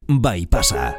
bai pasa.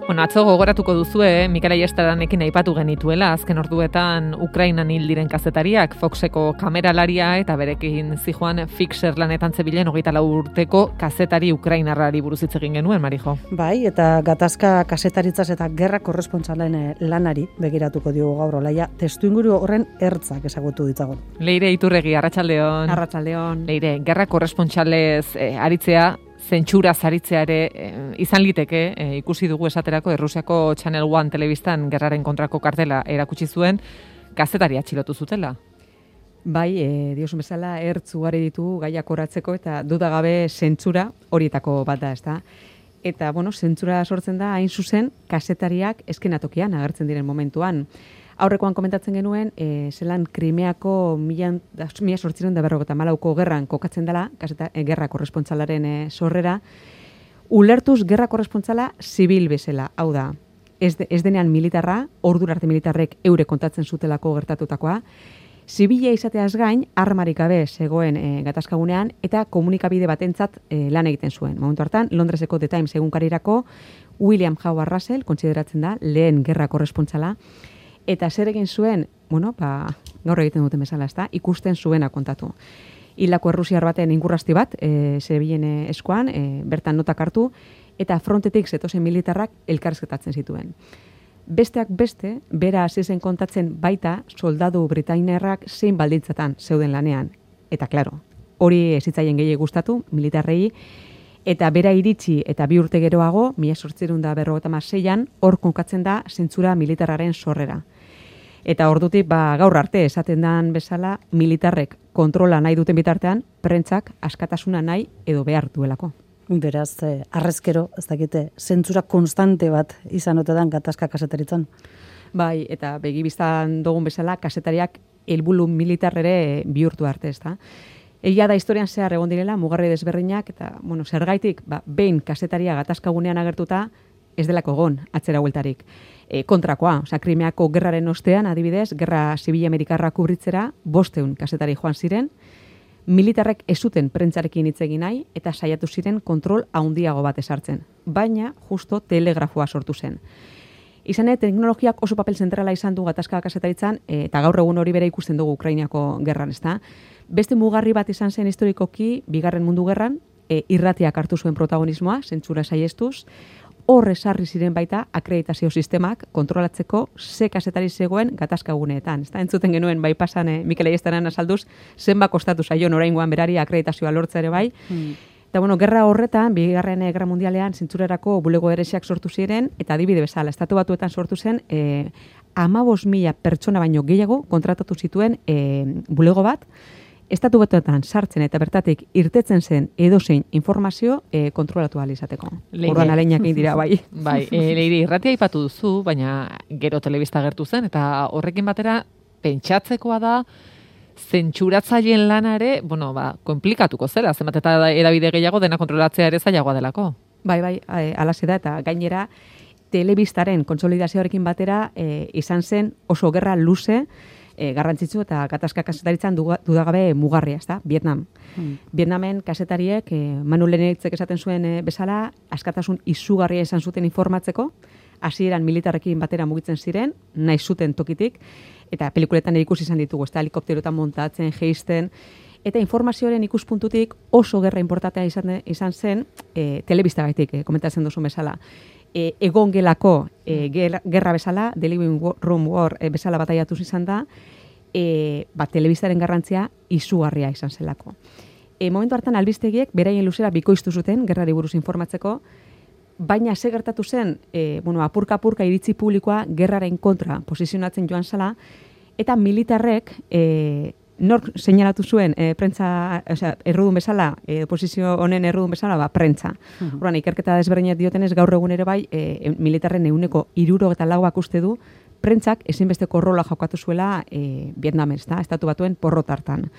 Bueno, atzo gogoratuko duzue, Mikel Aiestaranekin aipatu genituela, azken orduetan Ukrainan hil diren kazetariak, Foxeko kameralaria eta berekin zijoan Fixer lanetan zebilen 24 urteko kazetari ukrainarrari buruz hitz egin genuen, Marijo. Bai, eta gatazka kazetaritzaz eta gerra korrespontsalen lanari begiratuko diogu gaur Olaia, testuinguru horren ertzak ezagutu ditzagun. Leire Iturregi, arratsaldeon. Arratsaldeon. Leire, gerra korresponstalez aritzea, zentsura zaritzea ere izan liteke, ikusi dugu esaterako Errusiako Channel One telebistan gerraren kontrako kartela erakutsi zuen, kazetari atxilotu zutela. Bai, diosun bezala ertz ugari ditu gaiak oratzeko eta dudagabe zentsura horietako bat da, ezta? Eta, bueno, zentsura sortzen da hain zuzen kazetariak eskenatokian agertzen diren momentuan. Aurrekoan komentatzen genuen, zelan Krimeako 1854ko gerran kokatzen dela, gerra korresponstalaren sorrera, ulertuz gerra korrespontsala zibil bezala, hau da, ez denean militarra, ordura arte militarrek eure kontatzen zutelako gertatutakoa, zibila izateaz gain, armarik gabe zegoen gatazkagunean, eta komunikabide batentzat lan egiten zuen. Momentu hartan, Londreseko The Times egunkarirako William Howard Russell, kontsideratzen da, lehen gerra korrespontsala, eta zer egin zuen, bueno, gaur egiten duten bezala, ezta, ikusten zuena kontatu. Hilako errusiar baten ingurrasti bat, zebilen eskuan, bertan notak hartu, eta frontetik zetozen militarrak elkarrizketatzen zituen. Besteak beste, bera hasi zen kontatzen baita soldadu britainiarrak zein baldintzatan zeuden lanean. Eta, klaro, hori ez zitzaien gehiago gustatu, militarrei, eta bera iritsi eta 2 urte geroago, 1856an, hor konkatzen da zentsura militarraren sorrera. Eta ordutik gaur arte esaten dan bezala, militarrek kontrola nahi duten bitartean, prentsak askatasuna nahi edo behar duelako. Beraz, arrezkero, ez dakite, zentsura konstante bat izan ote dan gatazka kazetaritzan. Bai, eta begibiztan dugun bezala, kazetariak helburu militarrere bihurtu arte, ezta? Egia da historian zehar egon direla, mugarri desberdinak, eta, bueno, zergaitik, behin kazetaria gatazkagunean agertuta, ez delako egon, atzera hueltarik. Kontrakoa, Krimeako gerraren ostean, adibidez, gerra zibil amerikarra kubritzera, 500 kazetari joan ziren, militarrek ez zuten prentzarekin hitz egin nahi, eta saiatu ziren kontrol handiago bat ezartzen. Baina, justo telegrafoa sortu zen. Izan teknologiak oso papel zentrala izan du gatazka kazetaritzan, eta gaur egun hori bere ikusten dugu Ukrainako gerran, ezta? Beste mugarri bat izan zen historikoki, Bigarren Mundu Gerran, irratiak hartu zuen protagonismoa, zentsura saiestuz, horre sarri ziren baita akreditazio sistemak kontrolatzeko ze kazetari zegoen gatazkaguneetan. Entzuten genuen bai pasan Mikel Aiestaran azalduz, zenba kostatu zaion oraingoan berari akreditazioa lortza ere bai. Eta bueno, gerra horretan, Bigarren Gerra Mundialean zentzurarako bulego eresiak sortu ziren, eta adibide bezala, Estatu Batuetan sortu zen 15.000 pertsona baino gehiago kontratatu zituen bulego bat, Estatu Batuetan sartzen eta bertatik irtetzen zen edozein informazio kontrolatu ahal izateko. Orduan aleinak egin dira, bai. Bai, Leire, irratia aipatu duzu, baina gero telebista gertu zen, eta horrekin batera pentsatzekoa da zentsuratzaileen lanare, bueno, konplikatuko zela, zenbat eta edabide gehiago dena kontrolatzea ere zailagoa delako. Bai, alaxe da, eta gainera telebistaren kontsolidazioarekin batera izan zen oso gerra luze, garrantzitsu eta gatazka kazetaritzan dudagabe mugarria, ezta? Vietnam. Vietnamen kazetariek, Manu Leneitzek esaten zuen bezala, askatasun izugarria izan zuten informatzeko, hasieran militarrekin batera mugitzen ziren, nahi zuten tokitik, eta pelikuletan ikusi izan ditugu, ezta? Helikopterotan montatzen, jeisten, eta informazioaren ikuspuntutik oso gerra importantea izan zen, telebistagaitik, komentatzen duzun bezala. Egon gelako gerra bezala, The Living Room War bezala bataiatu izan da, telebistaren garrantzia izugarria izan zelako. Momentu hartan albistegiek beraien luzera bikoiztu zuten gerrari buruz informatzeko, baina ze gertatu zen, apurka-apurka iritzi publikoa gerraren kontra posizionatzen joan zela, eta militarrek nork seinalatu zuen errudun bezala, posizio honen errudun bezala, prentza. Horren, ikerketa desberdinak diotenez gaur egun ere bai, militarren 74%ak uste du, prentzak ezinbesteko rola jokatu zuela Vietnamen, Estatu Batuen porrot hartan.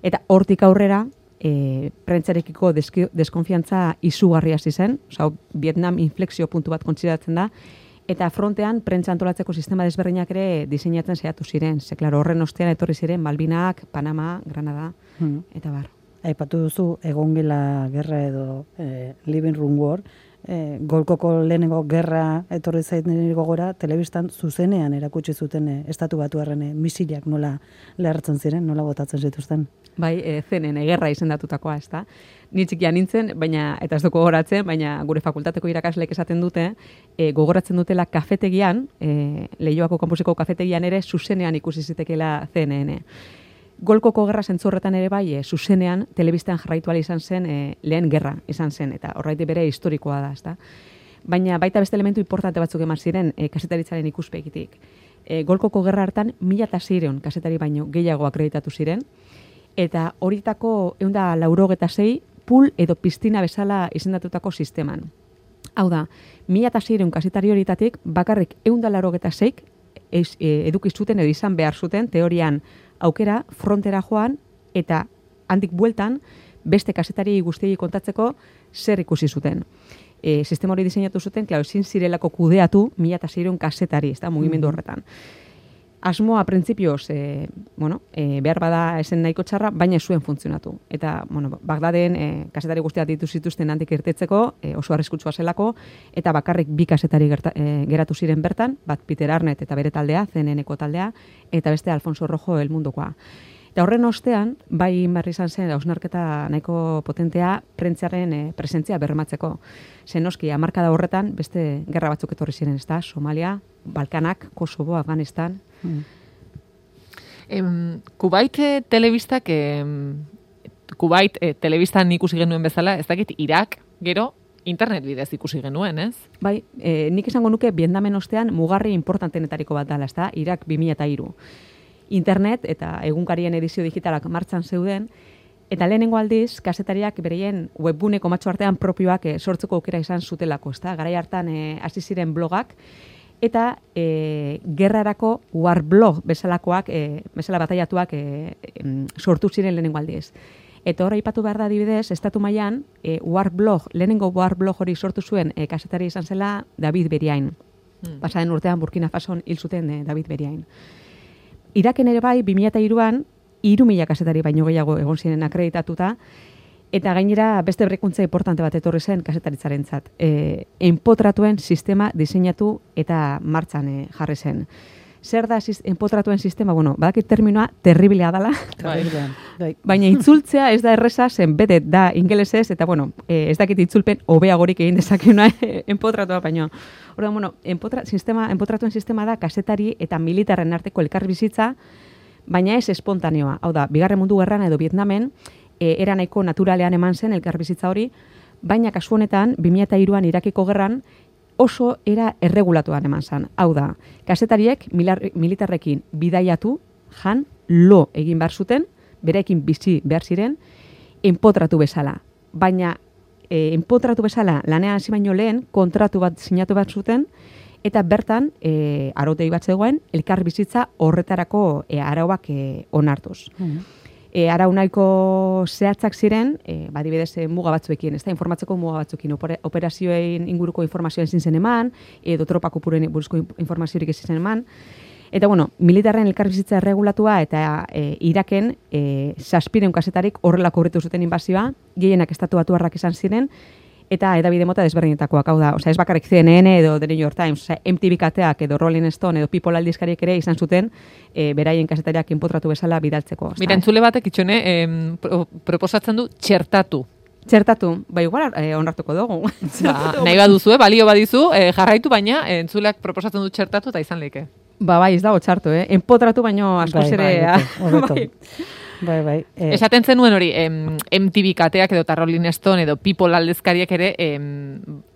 Eta hortik aurrera, prentzarekiko deskonfiantza izugarria hasi zen, Vietnam inflexio puntu bat kontsideratzen da, Eta frontean, prentza antolatzeko sistema desberdinak ere diseinatzen saiatu ziren. Ze, klaro, horren ostean etorri ziren Malvinak, Panama, Granada, eta bar. Aipatu duzu, egon gela gerra edo Living Room War, Golkoko lehenengo gerra etorri zaiten gogora, telebistan zuzenean erakutsi zuten estatu batuarren misilak nola lehertzen ziren, nola botatzen zituzten. Bai, CNN gerra izendatutakoa, ez da. Ni txikia nintzen, baina, eta ez dugu gogoratzen, baina gure fakultateko irakasleek esaten dute, gogoratzen dutela kafetegian, Leioako kampuseko kafetegian ere zuzenean ikusi zitekeela CNN. Golkoko gerra zentzorretan ere bai, zuzenean, telebistan jarraitu ala izan zen, lehen gerra izan zen, eta horreiti bere historikoa da, ezta. Baina baita beste elementu importante batzuk eman ziren kazetaritzaren ikuspegitik. Golkoko gerra hartan 1600 kazetari baino gehiago akreditatu ziren, eta horietako 196 pool edo piztina bezala izendatutako sisteman. Hau da, 1600 kazetari horietatik bakarrik 196 eduki zuten edo izan behar zuten teorian aukera frontera joan eta handik bueltan beste kazetari guztiei kontatzeko zer ikusi zuten. Sistema hori diseinatu zuten, klaro, ezin zirelako kudeatu 1600 kazetari, ez da, mugimendu horretan. Asmoa printzipioz, behar bada esen nahiko txarra, baina ez zuen funtzionatu. Eta, Bagdaden kazetari guztiak ditu zituzten handik irtetzeko, oso arriskutsua zelako, eta bakarrik 2 kazetari geratu ziren bertan, bat Peter Arnett eta bere taldea, CNN-eko taldea, eta beste Alfonso Rojo El Mundokoa. Eta horren ostean, bai berri izan zen, hausnarketa nahiko potentea prentzaren presentzia bermatzeko. Zenoski, hamarkada horretan, beste gerra batzuk etorri ziren, ez da, Somalia, Balkanak, Kosovo, Afganistan. Kuwait telebistak, Kuwait telebistan ikusi genuen bezala, ez dakit Irak, gero, internet bidez ikusi genuen, ez? Bai, nik esango nuke Vietnamen ostean mugarri importantenetariko bat dela, ez da, Irak 2003. Internet eta egunkarien edizio digitalak martxan zeuden, eta lehenengo aldiz, kazetariak bereien webguneko matxo artean propioak sortzeko aukera izan zutelako, ezta? Garai hartan hasi ziren blogak, eta gerrarako warblog bezalakoak, bezala bataiatuak sortu ziren lehenengo aldiz. Eta hor aipatu behar da adibidez, estatu mailan lehenengo warblog hori sortu zuen kazetari izan zela David Beriain. Pasaren urtean Burkina Fason hil zuten David Beriain. Iraken ere bai, 2003an, 3000 kazetari baino gehiago egon ziren akreditatuta, eta gainera beste berrikuntza importante bat etorri zen kazetaritzaren-zat. Enpotratuen sistema diseinatu eta martxan jarri zen. Zer da enpotratuen sistema? Badakit terminoa terriblea dela, baina itzultzea ez da erreza, zen bete da ingelesez, eta ez dakit itzulpen hobeagorik egin dezakena enpotratua, baina enpotratuen sistema da kazetari eta militarren arteko elkarbizitza, baina ez espontaneoa. Hau da, Bigarren Mundu Gerran edo Vietnamen, era nahiko naturalean eman zen elkarbizitza hori, baina kasu honetan, 2003an Irakeko gerran, oso era erregulatuan eman zen. Hau da, kazetariek militarrekin bidaiatu, lo egin behar zuten, berekin bizi behar ziren, enpotratu bezala. Baina enpotratu bezala lanean hasi baino lehen kontratu bat sinatu bat zuten, eta bertan, arautegi bat zegoen, elkar bizitza horretarako arauak onartuz. Arau nahiko zehatzak ziren, badibidez muga batzuekin, ez da, informatzeko muga batzuekin, operazioen inguruko informazioa ezin zen eman, edo tropa kopururen buruzko informaziorik ezin zen eman, eta militarren elkarbizitza erregulatua eta Iraken 700 kasetarik horrelako horretu zuten inbazioa, gehienak estatu batuarrak izan ziren, eta edabide mota desberdinetakoak, hau da, ez bakarrik CNN edo The New York Times, MTV kateak edo Rolling Stone edo People aldizkariek ere izan zuten beraien kazetariak enpotratu bezala bidaltzeko. Mira, entzule batek itxone proposatzen du txertatu. Txertatu, igual onartuko dugu. Nahi baduzu, balio badizu, jarraitu, baina entzuleak proposatzen du txertatu eta izan leke. Bai, ez dago txartu, enpotratu baino askoz ere. Bai. Esaten zenuen hori, MTV kateak edo Rolling Stone edo People aldezkariak ere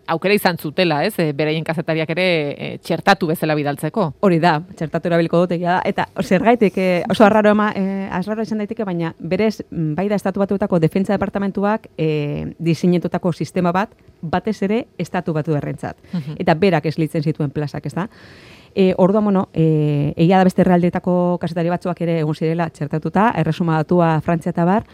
aukera izan zutela, ez? Beraien kazetariak ere txertatu bezala bidaltzeko. Hori da, txertatu erabiliko dutekia da. Eta zergaitik, oso arraro izan daiteke, baina berez, bai da estatu batuetako defentsa departamentuak diseinatutako sistema batez ere estatu batu errentzat. Eta berak eslitzen zituen plazak, ez da? Orduan, egia da beste herrialdeetako kazetari batzuak ere egon zirela txertatuta, erresuma datua Frantzia eta bar,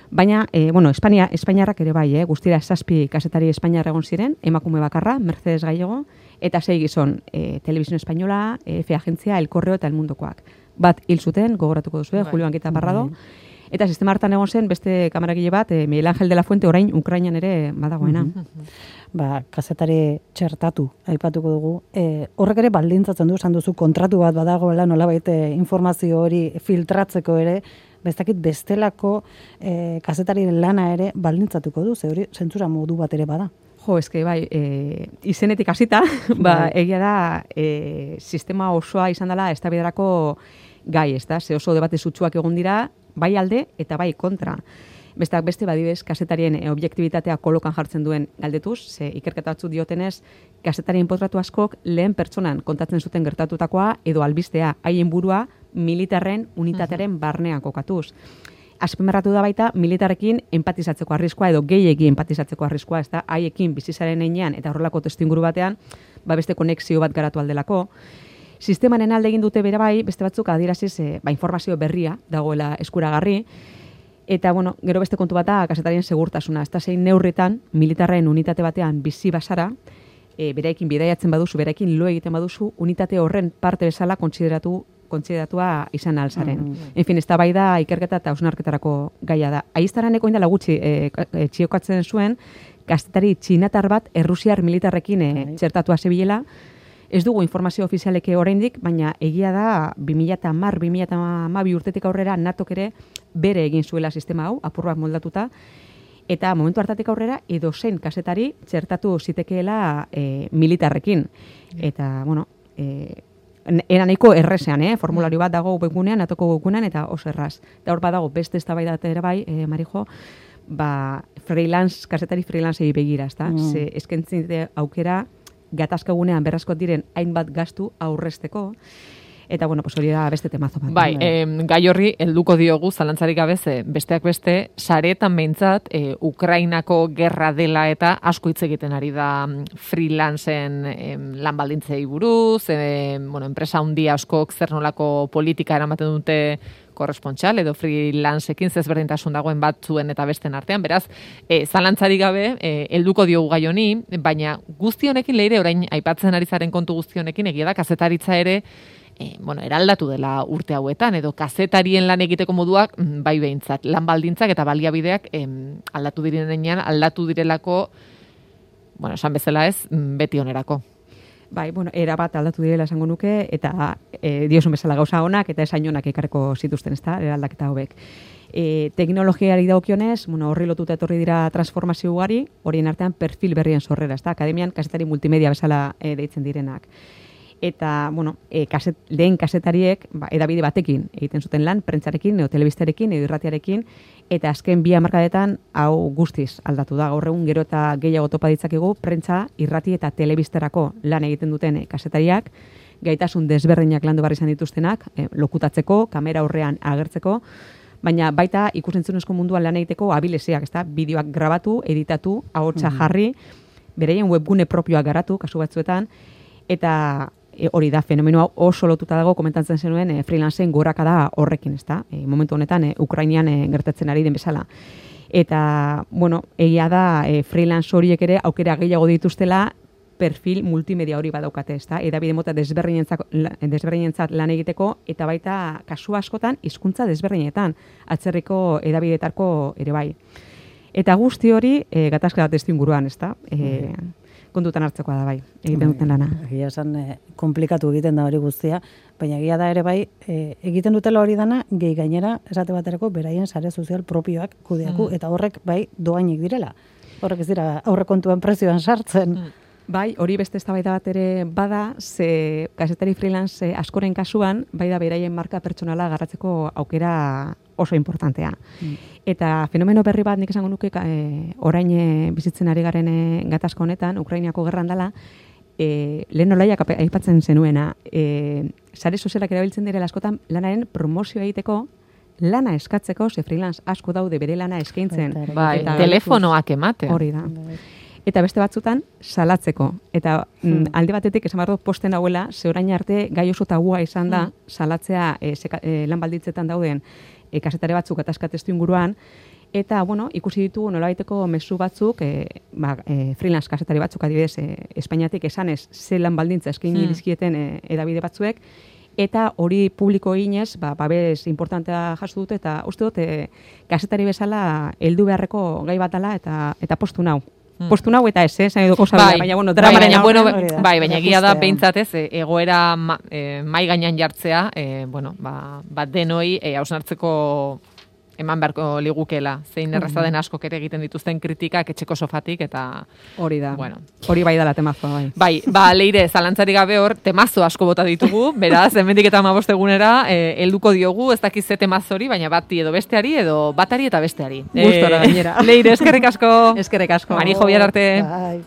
baina, Espainiarrak ere bai, guztira 7 kazetari Espainiar egon ziren, emakume bakarra, Mercedes Gallego, eta 6 gizon, Televisión Española, EFE Agentzia, El Correo eta El Mundokoak. Bat hil zuten, gogoratuko duzu, Julio Anguita Parrado. Eta sistema hartan egon zen beste kameragile bat, Miguel Ángel de la Fuente, orain Ukrainan ere badagoena. Kazetari txertatu, aipatuko dugu. Horrek ere baldintzatzen du, esan duzu, kontratu bat badagoela, nolabait informazio hori filtratzeko ere, bestakit bestelako kazetari lana ere baldintzatuko du, ze hori zentzura modu bat ere bada. Jo, eske bai, izenetik hasita, egia da, sistema osoa izan dela eztabaidarako gai, ezta? Ze oso debate sutsuak egon dira, bai alde eta bai kontra. Besteak beste badibez kazetarien objektibitatea kolokan jartzen duen galdetuz, ze ikerketa batzuk diotenez, kazetarien potratu askok lehen pertsonan kontatzen zuten gertatutakoa edo albistea haien burua militarren unitatearen barnean kokatuz. Azpimarratu da baita militarrekin empatizatzeko arriskoa edo gehiegi empatizatzeko arriskoa, ez da, haiekin bizizaren heinean eta horrelako testuinguru batean, beste konexio bat garatu aldelako. Sistemaren alde egin dute bere bai, beste batzuk adieraziz informazio berria dagoela eskuragarri, eta bueno, gero beste kontu bata kazetarien segurtasuna, ez da zein neurritan militarren unitate batean bizi basara, bereekin bidaiatzen baduzu, bereekin lo egiten baduzu, unitate horren parte bezala kontsideratua izan alzaren. En fin, ez da bai da ikerketa eta hausnarketarako gaia da. Aiztaraneko indala gutxi txiokatzen zuen, kazetari txinatar bat errusiar militarrekin txertatua zebilela. Ez dugu informazio ofizialeke oraindik, baina egia da 2010-2012 urtetik aurrera NATOk ere bere egin zuela sistema hau, apur bat moldatuta, eta momentu hartatik aurrera edozein kazetari txertatu zitekeela militarrekin. Eta, bueno, era nahiko errezean, formulario bat dago webgunean, NATOko webgunean, eta oso erraz. Eta hor badago beste eztabaidat ere bai, Marijo, kazetari freelancei begira, ezta? Ze eskentzen aukera gatazkagunean berrazko diren hainbat gastu aurrezteko, eta bueno, hori da beste temazo bat. Bai, gai horri helduko diogu zalantzarik gabe, besteak beste, saretan behintzat, Ukrainako gerra dela eta asko hitz egiten ari da freelancen lan baldintzei buruz, enpresa handi askok zer nolako politika eramaten dute korrespontxal edo freelanceekin zezberdintasun dagoen batzuen eta besten artean. Beraz, zalantzarik gabe, helduko diogu gai honi, baina guzti honekin leire orain aipatzen ari zaren kontu guzti honekin egia da kazetaritza ere eraldatu dela urte hauetan, edo kazetarien lan egiteko moduak bai behintzat, lan baldintzak eta baliabideak aldatu direnean, aldatu direlako, esan bezala ez, beti onerako. Bai, erabat aldatu direla esango nuke, eta diosun bezala gauza honak, eta esain honak ekarreko zituzten, ezta, eraldaketa hobek. Teknologiari dagokionez, horri lotuta etorri dira transformazio ugari, horien artean perfil berrien sorrera, ezta, akademian kazetari multimedia bezala deitzen direnak. Eta, lehen kazetariek edabide batekin egiten zuten lan, prentzarekin, edo telebistarekin, edo irratiarekin, eta azken 2 hamarkadetan hau guztiz aldatu da. Gaur egun gero eta gehiago topa ditzakegu, prentza, irrati eta telebisterako lan egiten duten kazetariak, gaitasun desberdinak landu barri izan dituztenak, lokutatzeko, kamera aurrean agertzeko, baina baita ikusentzunezko munduan lan egiteko abileziak, ezta? Bideoak grabatu, editatu, ahotsa jarri, bereien webgune propioak garatu, kasu batzuetan, eta hori da, fenomenoa oso lotuta dago, komentatzen zenuen freelanceen gorakada horrekin, ezta? Momentu honetan, Ukrainian gertatzen ari den bezala. Eta, egia da, freelance horiek ere aukera gehiago dituztela perfil multimedia hori badaukate, ezta? Edabide mota desberdinentzat lan egiteko, eta baita kasu askotan hizkuntza desberdinetan, atzerriko edabidetarko ere bai. Eta guzti hori, gatazka testu inguruan, ezta? Kontutan hartzekoa da bai, egiten duten lana. Egia esan, komplikatu egiten da hori guztia, baina egia da ere bai, egiten dutela hori dana, gehi gainera, esate baterako, beraien sare sozial propioak kudeaku, eta horrek bai doainik direla. Horrek ez dira aurrekontuen prezioan sartzen. Bai, hori beste eztabaida bat ere bada, ze kazetari freelance askoren kasuan, bai da beraien marka pertsonala garratzeko aukera oso importantea. Eta fenomeno berri bat nik esango nuke orain bizitzen ari garen gatazka honetan, Ukrainiako gerran dela, lehen nolaiak aipatzen zenuena, sare sozialak erabiltzen direla askotan lanaren promozioa egiteko, lana eskatzeko, ze freelance asko daude bere lana eskaintzen. Bai, telefonoak ematen. Hori da. Eta beste batzutan salatzeko. Eta alde batetik esan behar dut posten hauela, ze orain arte gai oso tabua izan da salatzea lan balditzetan dauden kazetare batzuk atazka testu inguruan, Eta, bueno, ikusi ditugu nolabaiteko mezu batzuk, freelance kazetari batzuk adibidez, Espainiatik esanez zelan baldintza eskaini dizkieten edabide batzuek, eta hori publiko eginez, babes importantea jaso dute, eta uste dut, kazetari bezala heldu beharreko gai bat dela, eta postu nau. Postu nau eta ez, zain edo kosa baina, bueno, dramaren baina egia da, behintzat ez, egoera mai gainan jartzea, bat denoi hausnartzeko eman beharko ligukela, zein erraza den askok ere egiten dituzten kritikak etxeko sofatik, eta... Hori da, bueno. Hori bai dela temazoa, bai. Leire, zalantzari gabe hor, temazo asko bota ditugu, beraz, hemendik eta 15 egunera, helduko diogu, ez dakiz ze temazori, baina bati edo besteari, edo batari eta besteari. Gustora gainera. Leire, eskerrik asko. Eskerrik asko. Mari jo bihar arte. Bai.